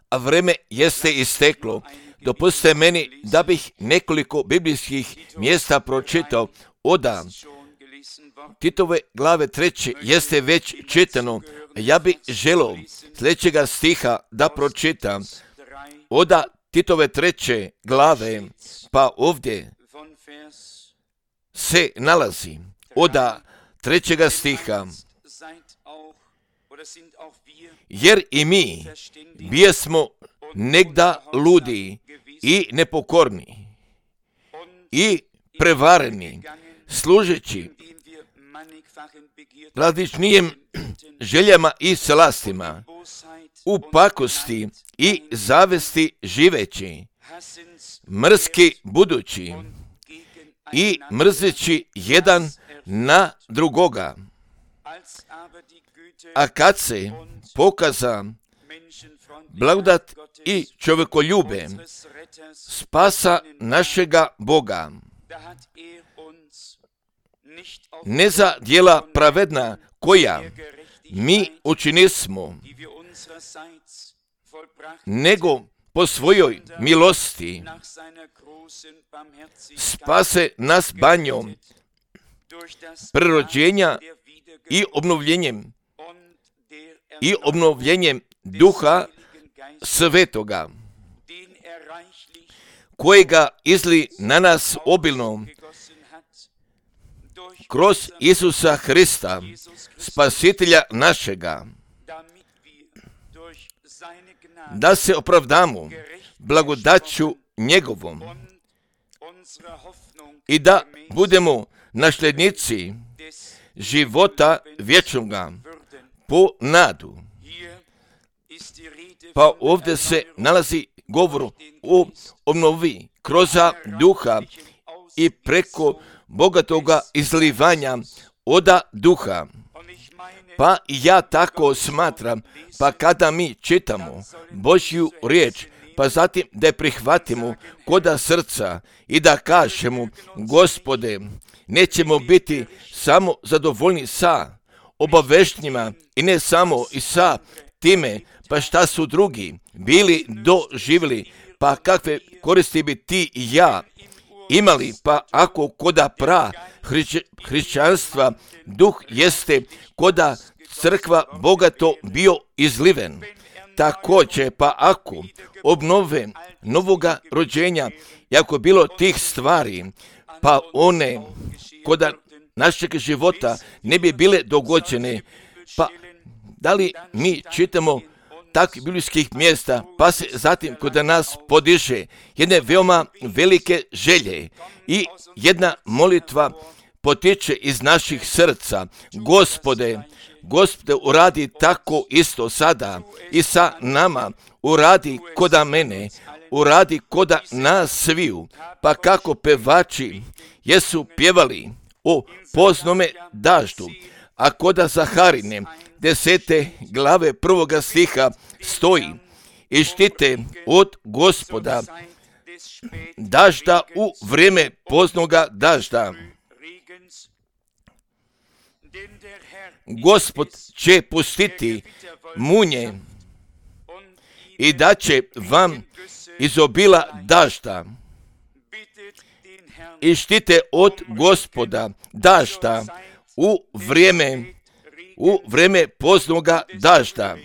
A vreme jeste isteklo. Dopustite meni da bih nekoliko biblijskih mjesta pročitao. Oda Titove glave 3. jeste već čitano. Ja bih želio sljedećega stiha da pročitam. Oda Titove 3. glave, pa ovdje se nalazi oda 3. stiha. Jer i mi bijesmo negda ludi i nepokorni i prevareni, služeći različnijim željama i slastima, u pakosti i zavesti živeći, mrski budući i mrzeći jedan na drugoga. A kad se pokaza blagodat i čovjekoljube, spasa našega Boga, ne za djela pravedna koja mi učinismo, nego po svojoj milosti spase nas banjom prerođenja i obnovljenjem Duha Svetoga, kojega izli na nas obilno kroz Isusa Hrista, Spasitelja našega, da se opravdamo blagodaću njegovom i da budemo nasljednici života vječnoga po nadu. Pa ovdje se nalazi govor o obnovi kroz duha i preko bogatoga izlivanja oda duha. Pa ja tako smatram, pa kada mi čitamo Božju riječ, pa zatim da je prihvatimo koda srca i da kažemo, Gospode, nećemo biti samo zadovoljni sa obaveštenjima i ne samo i sa time, pa šta su drugi bili doživjeli, pa kakve koristi bi ti i ja imali, pa ako koda hrišćanstva duh jeste koda crkva bogato bio izliven. Također, pa ako obnove novoga rođenja, jako bilo tih stvari, pa one koda našeg života ne bi bile dogođene, pa da li mi čitamo takvih biblijskih mjesta, pa se zatim kod nas podiže jedne veoma velike želje i jedna molitva potiče iz naših srca. Gospode, uradi tako isto sada i sa nama, uradi koda mene, uradi koda nas sviju, pa kako pevači jesu pjevali o poznome daždu, a koda Zaharine 10. glave 1. stiha stoji: i štite od Gospoda dažda u vrijeme poznoga dažda. Gospod će pustiti munje i da će vam izobila dažda. I štite od Gospoda dažda u vrijeme poznoga dažda.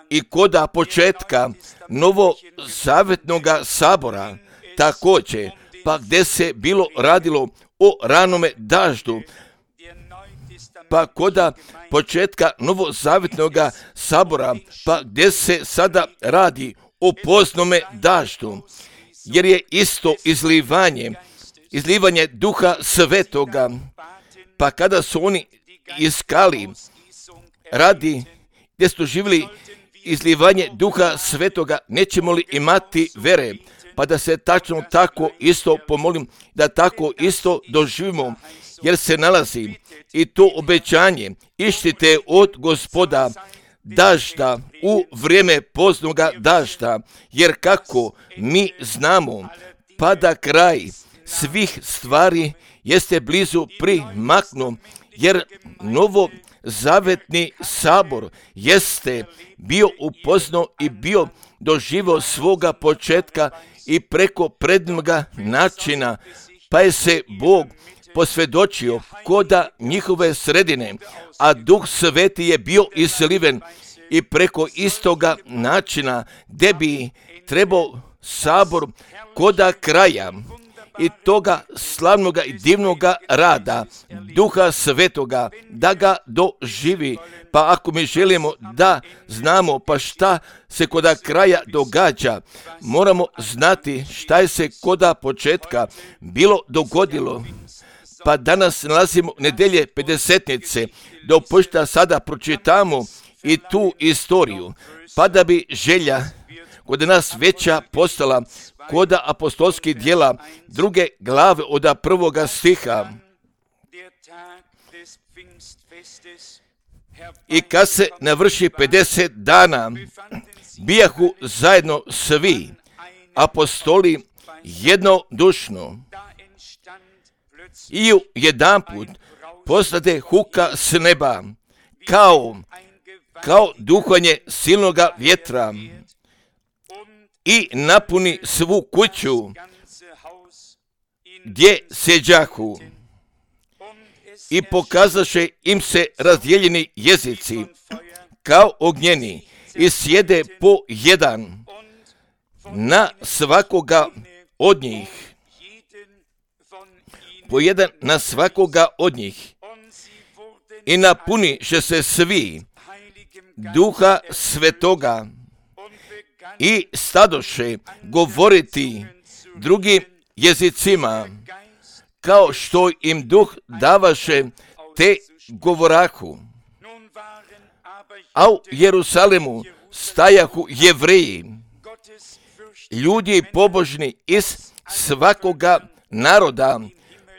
I koda početka novozavjetnoga sabora također, pa gdje se bilo radilo o ranome daždu, pa koda početka novozavjetnoga sabora, pa gdje se sada radi o poznome daždu, jer je isto izlivanje Duha Svetoga, pa kada su oni iskali radi gdje su živjeli izlivanje Duha Svetoga, nećemo li imati vere, pa da se tačno tako isto pomolim, da tako isto doživimo, jer se nalazi i to obećanje: ištite od Gospoda dažda u vrijeme poznoga dažda, jer kako mi znamo, pada kraj svih stvari jeste blizu primaknu, jer novo zavetni sabor jeste bio upoznao i bio doživio svoga početka i preko prednoga načina, pa je se Bog posvjedočio koda njihove sredine, a Duh Sveti je bio izliven i preko istoga načina gdje bi trebao sabor koda kraja i toga slavnoga i divnoga rada Duha Svetoga da ga doživi. Pa ako mi želimo da znamo pa šta se koda kraja događa, moramo znati šta je se koda početka bilo dogodilo. Pa danas nalazimo nedelje Pedesetnice, dopustite sada pročitamo i tu istoriju, pa da bi želja kod nas veća postala koda apostolskih djela 2. glave od 1. stiha. I kad se navrši 50 dana, bijahu zajedno svi apostoli jednodušno i jedanput postade huka s neba, kao duhanje silnoga vjetra i napuni svu kuću gdje sjeđahu. I pokazaše im se razdijeljeni jezici kao ognjeni i sjede po jedan na svakoga od njih. Po jedan na svakoga od njih. I napuniše se svi Duha Svetoga i stadoše govoriti drugim jezicima, kao što im Duh davaše, te govorahu. A u Jerusalemu stajahu Jevreji, ljudi pobožni iz svakoga naroda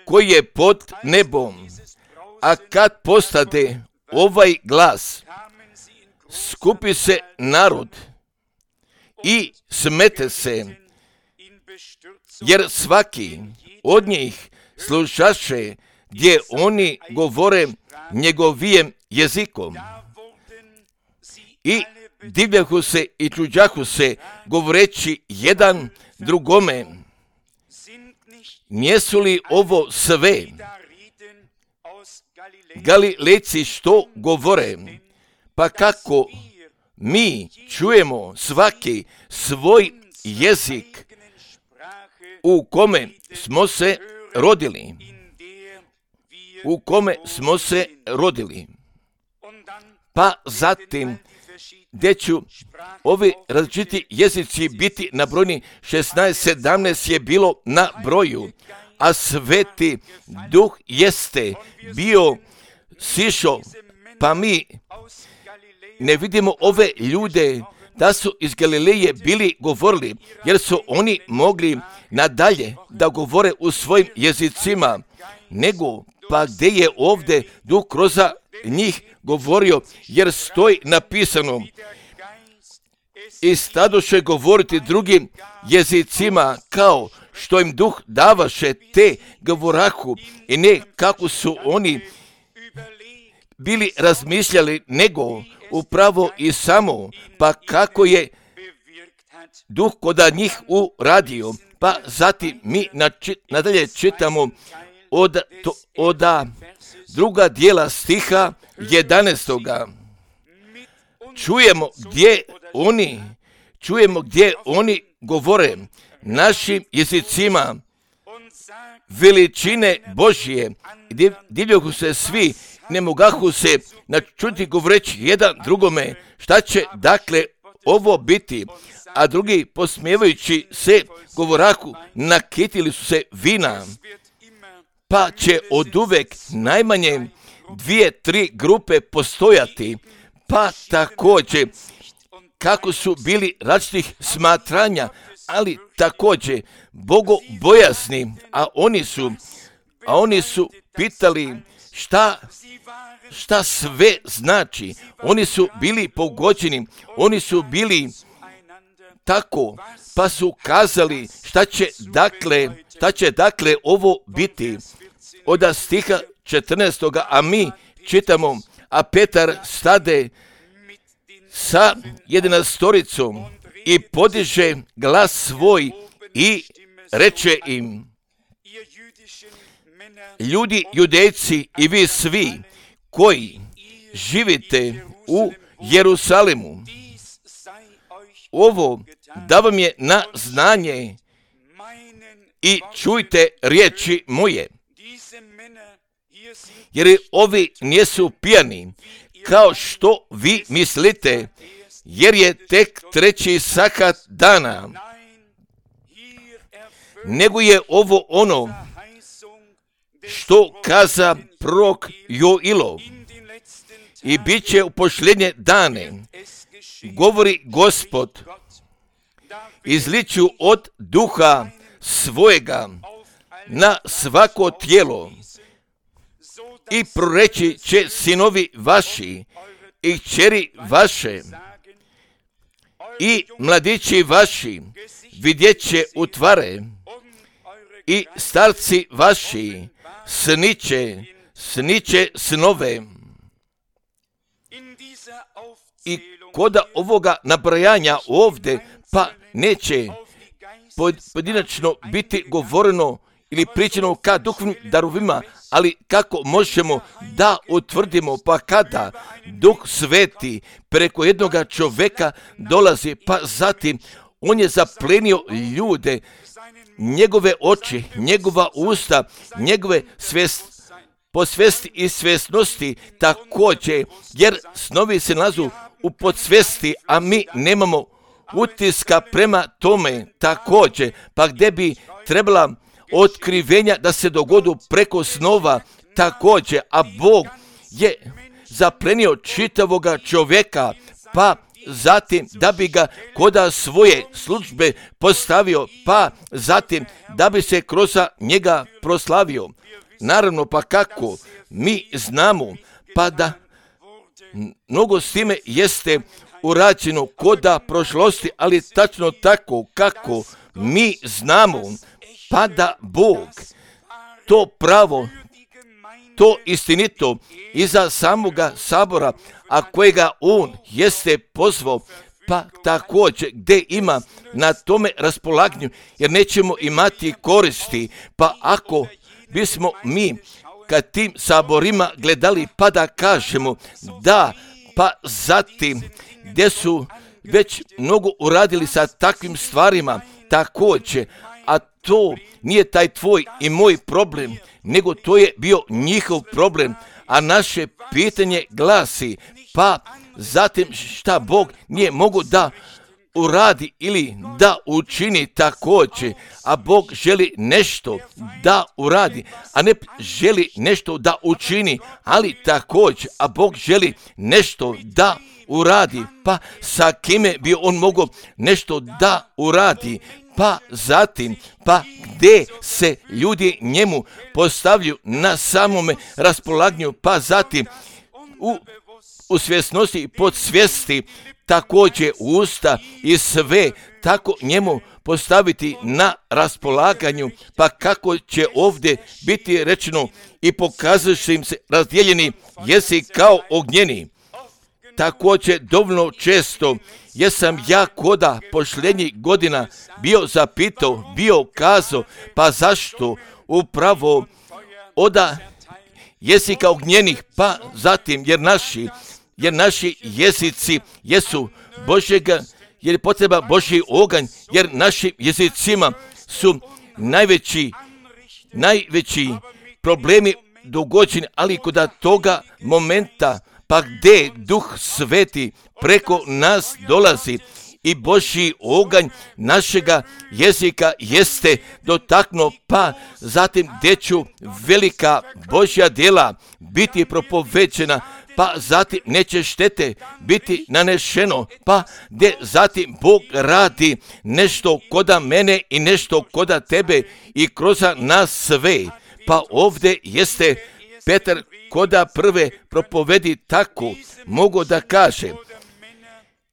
koji je pod nebom. A kad postade ovaj glas, skupi se narod i smete se, jer svaki od njih slušaše gdje oni govore njegovijem jezikom. I divljahu se i čuđahu se, govoreći jedan drugome, nijesu li ovo sve Galilejci što govore? Pa kako mi čujemo svaki svoj jezik u kome smo se rodili. U kome smo se rodili. Pa zatim, gdje ću ovi različiti jezici biti nabrojni, 16-17 je bilo na broju, a Sveti Duh jeste bio sišao, pa mi ne vidimo ove ljude da su iz Galileje bili govorili, jer su oni mogli nadalje da govore u svojim jezicima, nego pa gdje je ovdje Duh kroz njih govorio, jer stoji napisano, i stadoše govoriti drugim jezicima, kao što im Duh davaše, te govorahu, i ne kako su oni bili razmišljali, nego upravo i samo, pa kako je Duh koda njih uradio. Pa zatim mi nadalje čitamo od 2. dijela stiha 11. Čujemo gdje oni govore našim jezicima veličine Božje. Divljahu se svi, ne mogahu se načuti govoreći jedan drugome, šta će dakle ovo biti? A drugi, posmijevajući se govorahu, nakitili su se vina. Pa će oduvek najmanje 2-3 grupe postojati. Pa također, kako su bili različitih smatranja, ali također bogobojasni, a oni su pitali šta sve znači. Oni su bili pogođeni, oni su bili tako, pa su kazali šta će dakle ovo biti. Od stiha 14. a mi čitamo, a Petar stade sa 11 i podiže glas svoj i reče im: ljudi judejci i vi svi koji živite u Jerusalimu, ovo da vam je na znanje i čujte riječi moje. Jer ovi nisu pijani, kao što vi mislite, jer je tek 3. sahat dana, nego je ovo ono što kaza prorok Joilo, i bit će u posljednje dane, govori Gospod, izliću od duha svojega na svako tijelo i proreći će sinovi vaši i kćeri vaše i mladići vaši vidjet će utvare i starci vaši sniće snove. I kod ovoga nabrajanja ovdje pa neće pojedinačno biti govoreno ili pričano ka duhovnim darovima, ali kako možemo da utvrdimo, pa kada Duh Sveti preko jednoga čovjeka dolazi, pa zatim on je zaplenio ljude, njegove oči, njegova usta, njegove po svesti i svjesnosti također, jer snovi se nalazu u podsvesti, a mi nemamo utiska prema tome također, pa gdje bi trebala otkrivenja da se dogodu preko snova također, a Bog je zaplenio čitavoga čovjeka, pa zatim da bi ga koda svoje službe postavio, pa zatim da bi se kroz njega proslavio. Naravno, pa kako mi znamo, pa da mnogo s time jeste urađeno koda prošlosti, ali tačno tako kako mi znamo, pa da Bog to pravo, to istinito iza samoga sabora, a kojega on jeste pozvao, pa također gdje ima na tome raspolaganju, jer nećemo imati koristi, pa ako bismo mi kad tim saborima gledali, pa da kažemo da, pa zatim gdje su već mnogo uradili sa takvim stvarima također, a to nije taj tvoj i moj problem, nego to je bio njihov problem, a naše pitanje glasi, pa zatim šta Bog nije mogu da uradi ili da učini također, a Bog želi nešto da uradi, a ne želi nešto da učini, ali također, a Bog želi nešto da uradi, pa sa kime bi on mogao nešto da uradi, pa zatim, pa gdje se ljudi njemu postavljaju na samome raspolaganju, pa zatim u svjesnosti i podsvijesti također usta i sve tako njemu postaviti na raspolaganju, pa kako će ovdje biti rečeno i pokazujući im se razdijeljeni jesi kao ognjeni. Također dovoljno često jesam ja koda posljednjih godina bio zapitao, bio kazao, pa zašto upravo oda jesi kao ognjenih, pa zatim jer naši jezici jesu Božjega, jer je potreba Božji oganj, jer našim jezicima su najveći problemi dogođeni, ali kod toga momenta, pa gdje Duh Sveti preko nas dolazi i Božji oganj našega jezika jeste dotaknuo, pa zatim gdje ću velika Božja djela biti propoveđena, pa zatim neće štete biti nanešeno, pa gdje zatim Bog radi nešto koda mene i nešto koda tebe i kroz nas sve. Pa ovdje jeste Petar koda prve propovedi tako mogu da kaže,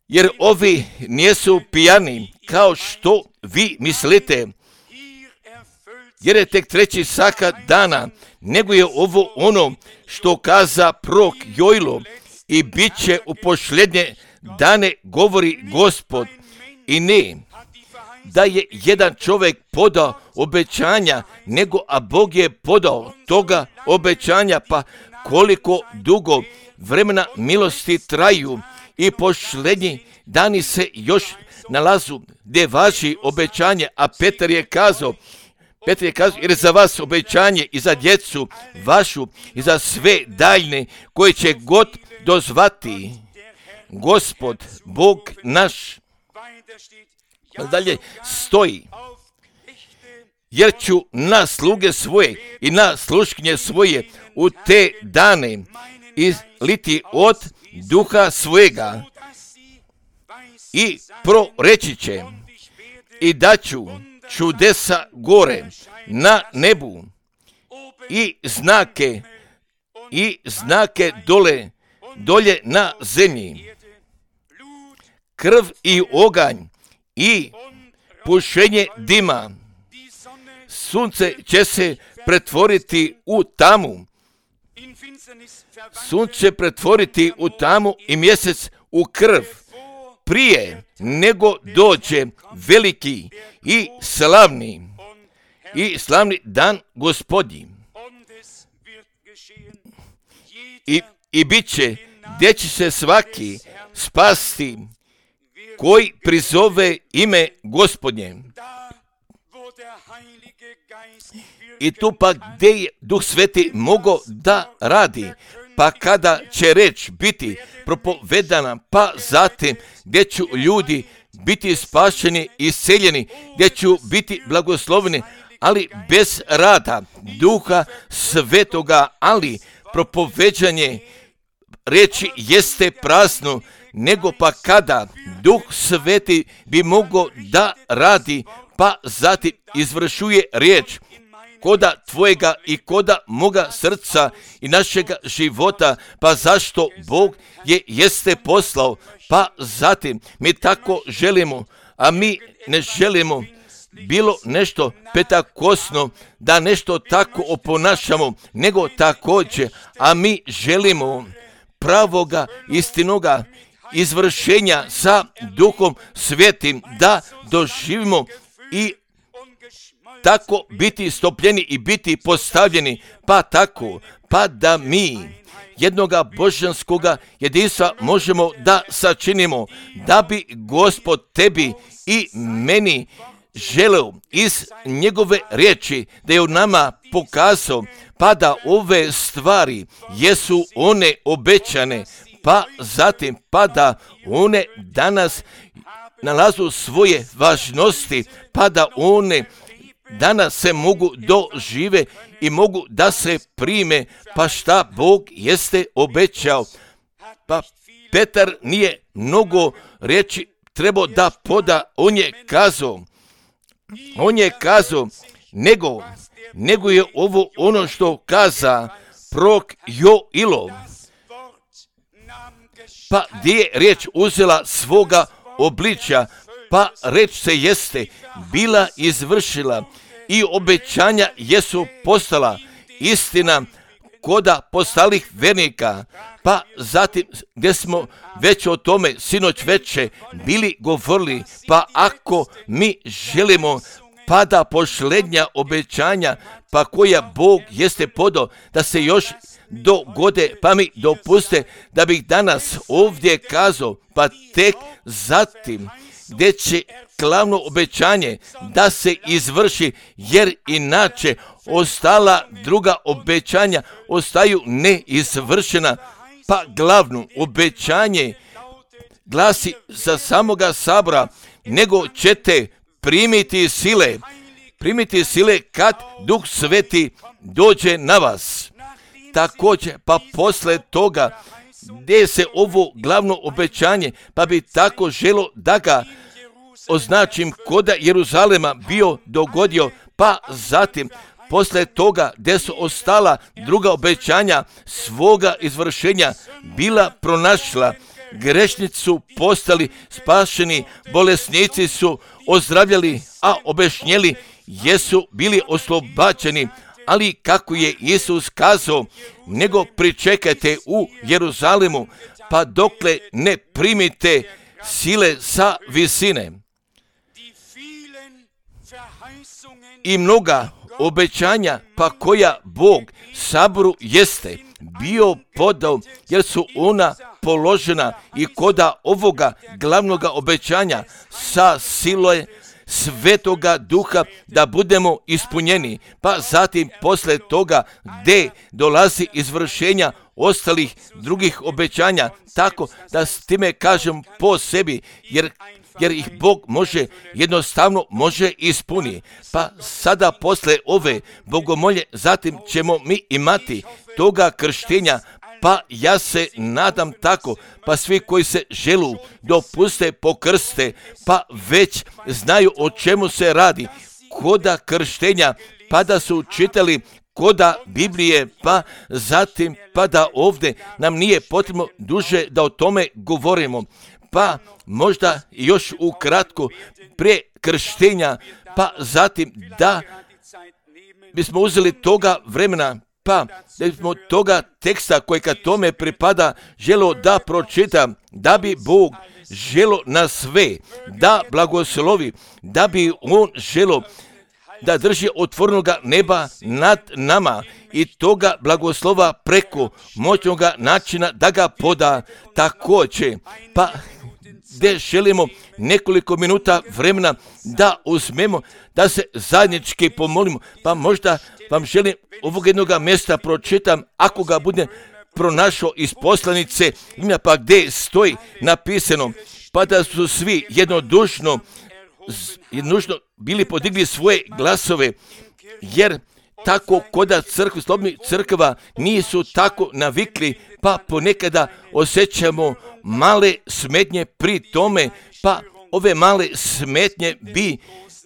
jer ovi nisu pijani kao što vi mislite, jer je tek treći saka dana, nego je ovo ono što kaza prorok Joilo, i bit će u posljednje dane, govori Gospod. I ne da je jedan čovjek podao obećanja, nego a Bog je podao toga obećanja, pa koliko dugo vremena milosti traju i posljednji dani se još nalazu gdje važi obećanje, a Petar je kazao, jer za vas obećanje i za djecu vašu i za sve daljne koje će god dozvati Gospod, Bog naš. Dalje stoji, jer ću na sluge svoje i na sluškinje svoje u te dane izliti od duha svojega i proreći će, i daću čudesa gore na nebu i znake dolje na zemlji, krv i oganj i pušenje dima. Sunce će se pretvoriti u tamu. Sunce će pretvoriti u tamu i mjesec u krv, prije nego dođe veliki i slavni dan Gospodnji. I bit će, gdje će se svaki spasti koji prizove ime Gospodnje. I tu pa gdje je Duh Sveti mogao da radi, pa kada će reč biti propovedana, pa zatim gdje ću ljudi biti spašeni i isceljeni, gdje ću biti blagosloveni, ali bez rada Duha Svetoga, ali propoveđanje reči jeste prazno, nego pa kada Duh Sveti bi mogao da radi, pa zatim izvršuje riječ koda tvojega i koda moga srca i našega života, pa zašto Bog jeste poslao, pa zatim mi tako želimo, a mi ne želimo bilo nešto petakosno, da nešto tako oponašamo, nego također, a mi želimo pravoga, istinoga izvršenja sa Duhom Svetim, da doživimo i tako biti stopljeni i biti postavljeni, pa tako, pa da mi jednoga božanskoga jedinstva možemo da sačinimo, da bi Gospod tebi i meni želeo iz njegove riječi da je u nama pokazao, pa da ove stvari jesu one obećane, pa zatim pa da one danas nalazu svoje važnosti, pa da one danas se mogu dožive i mogu da se prime, pa šta Bog jeste obećao. Pa Petar nije mnogo riječi trebao da poda, on je kazao, nego je ovo ono što kaza prorok Joilo. Pa gdje je riječ uzela svoga obličja, pa reč se jeste bila izvršila i obećanja jesu postala istina koda postalih vernika, pa zatim gdje smo već o tome sinoć veče bili govorili, pa ako mi želimo pa da posljednja obećanja pa koja Bog jeste podao da se još dogode, pa mi dopuste da bih danas ovdje kazao, pa tek zatim gdje će glavno obećanje da se izvrši, jer inače ostala druga obećanja ostaju neizvršena, pa glavno obećanje glasi za samoga sabora, nego ćete primiti sile kad Duh Sveti dođe na vas. Također, pa posle toga gdje se ovo glavno obećanje, pa bi tako želo da ga označim koda Jeruzalema bio dogodio, pa zatim posle toga gdje su ostala druga obećanja svoga izvršenja bila pronašla, grešnici su postali spašeni, bolesnici su ozdravljali, a obešnjeli jesu bili oslobađeni, ali kako je Isus kazao, nego pričekajte u Jeruzalemu, pa dokle ne primite sile sa visine. I mnoga obećanja, pa koja Bog saboru jeste bio podao, jer su ona položena i koda ovoga glavnoga obećanja sa silom Svetoga Duha da budemo ispunjeni, pa zatim posle toga gde dolazi izvršenja ostalih drugih obećanja, tako da s time kažem po sebi, jer ih Bog jednostavno može ispuniti. Pa sada posle ove bogomolje, zatim ćemo mi imati toga krštenja, pa ja se nadam tako, pa svi koji se želu dopuste pokrste, pa već znaju o čemu se radi, koda krštenja, pa da su čitali koda Biblije, pa zatim pa da ovdje nam nije potrebno duže da o tome govorimo. Pa možda još ukratko prije krštenja, pa zatim da bismo uzeli toga vremena, pa da bismo toga teksta koji kad tome pripada želo da pročitam, da bi Bog želo na sve da blagoslovi, da bi On želo da drži otvorenoga neba nad nama i toga blagoslova preko moćnoga načina da ga poda također. Pa gdje želimo nekoliko minuta vremena da uzmemo, da se zajednički pomolimo, pa možda vam želim ovog jednoga mjesta pročitam, ako ga budem pronašao iz poslanice, pa gdje stoji napisano, pa da su svi jednodušno bili podigli svoje glasove, jer tako koda slobodnih crkva nisu tako navikli, pa ponekada osjećamo male smetnje pri tome, pa ove male smetnje bi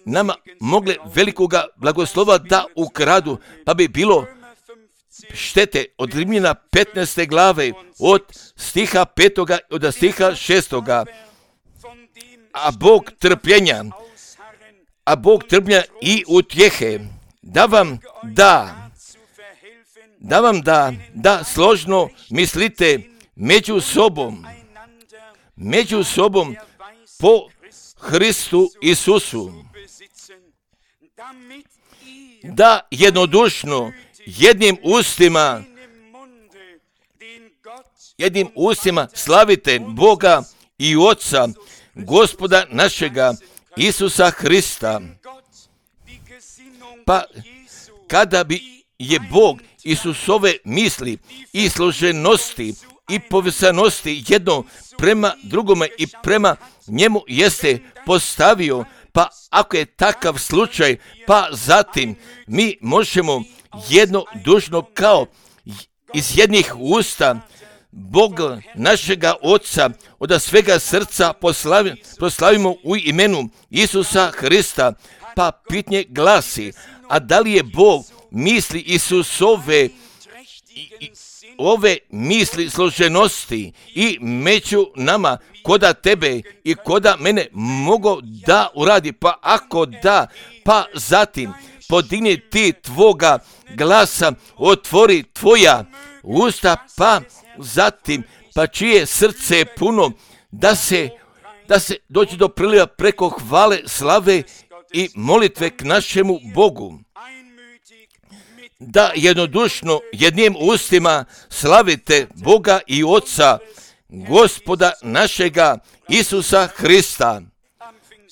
nama mogle velikoga blagoslova da ukradu, pa bi bilo štete od Rimljana 15. glave od stiha 5. od stiha 6. A Bog trpljenja i utjehe da vam da složno mislite među sobom po Hristu Isusu, da jednodušno jednim ustima slavite Boga i Oca, Gospoda našega Isusa Hrista. Pa kada bi je Bog Isusove misli i složenosti i povezanosti jedno prema drugome i prema njemu jeste postavio, pa ako je takav slučaj, pa zatim mi možemo jednodušno kao iz jednih usta Boga našega Oca od svega srca proslavimo u imenu Isusa Hrista. Pa pitanje glasi, a da li je Bog misli Isusove ove misli složenosti i među nama koda tebe i koda mene mogu da uradi? Pa ako da, pa zatim podigni ti tvoga glasa, otvori tvoja usta, pa zatim pa čije srce je puno da se dođe do priliva preko hvale, slave i molitve k našemu Bogu. Da jednodušno jednim ustima slavite Boga i Oca, Gospoda našega Isusa Hrista.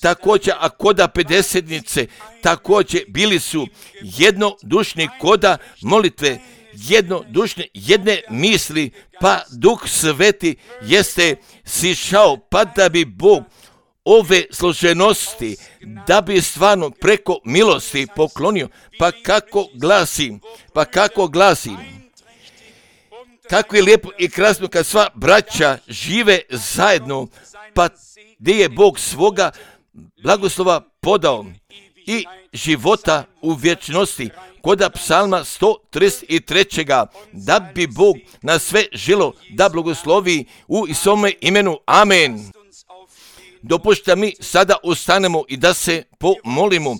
Također, a koda pedesetnice, također bili su jednodušni koda molitve, jednodušne jedne misli, pa Duh Sveti jeste sišao, pa da bi Bog ove složenosti, da bi stvarno preko milosti poklonio. Pa kako glasi, kako je lijepo i krasno kad sva braća žive zajedno, pa gdje je Bog svoga blagoslova podao i života u vječnosti. Koda psalma 133. da bi Bog na sve želo da blagoslovi u Isome imenu. Amen. Dopušta mi sada ustanemo i da se pomolimo,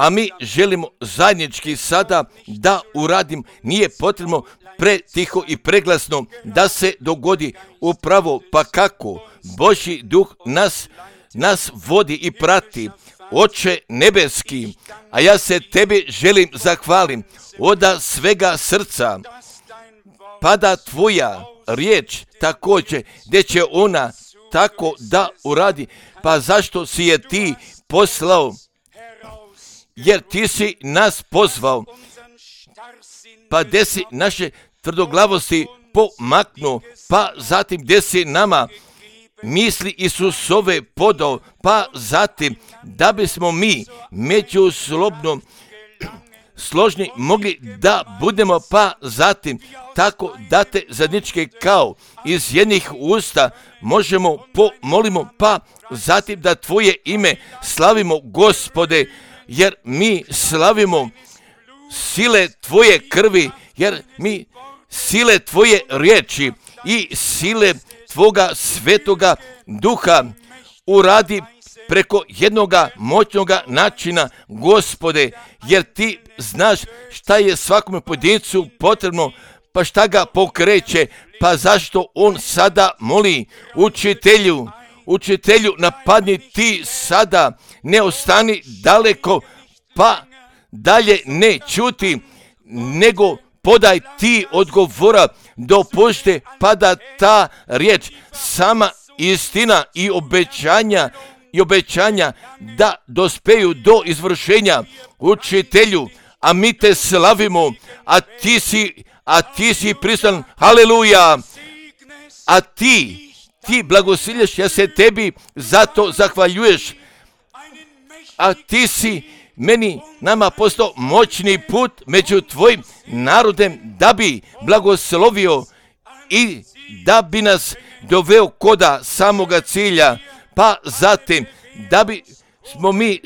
a mi želimo zajednički sada da uradim. Nije potrebno pretiho i preglasno da se dogodi upravo, pa kako Božji duh nas vodi i prati. Oče nebeski, a ja se tebi želim zahvalim od svega srca, pa da tvoja riječ također, gdje će ona tako da uradi, pa zašto si je ti poslao? Jer ti si nas pozvao, pa gdje si naše tvrdoglavosti pomaknuo, pa zatim gdje si nama misli Isusove podao, pa zatim da bismo mi međusobno složni mogli da budemo, pa zatim tako da te zajedničke kao iz jednih usta možemo pomolimo, pa zatim da tvoje ime slavimo, Gospode, jer mi slavimo sile tvoje krvi, jer mi sile tvoje riječi i sile tvoga svetoga duha uradi preko jednoga moćnoga načina, Gospode, jer ti znaš šta je svakome pojedincu potrebno, pa šta ga pokreće, pa zašto on sada moli učitelju napadni ti sada, ne ostani daleko, pa dalje ne čuti, nego podaj ti odgovora, dopušte pa da ta riječ, sama istina i obećanja da dospeju do izvršenja, učitelju, a mi te slavimo, a ti si pristan, haleluja, a ti blagosilješ, ja se tebi zato zahvaljuješ, a ti si nama postao moćni put među tvojim narodem, da bi blagoslovio i da bi nas doveo koda samoga cilja, pa zatim da bi smo mi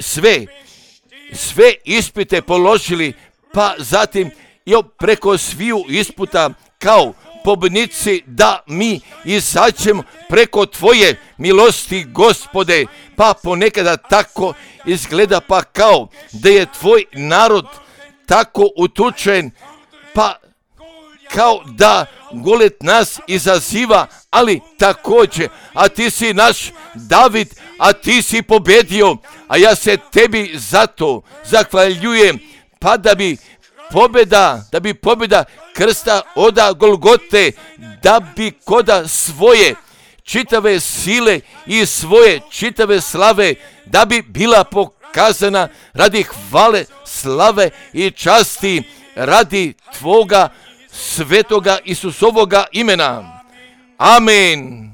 sve ispite položili, pa zatim i preko sviju isputa kao pobjednici da mi izađemo preko tvoje milosti, Gospode, pa ponekada tako izgleda, pa kao da je tvoj narod tako utučen, pa kao da Golet nas izaziva, ali također, a ti si naš David, a ti si pobjedio, a ja se tebi zato zahvaljujem, pa da bi pobjeda krsta oda Golgote, da bi koda svoje čitave sile i svoje čitave slave, da bi bila pokazana radi hvale, slave i časti, radi tvoga svetoga Isusovoga imena. Amen.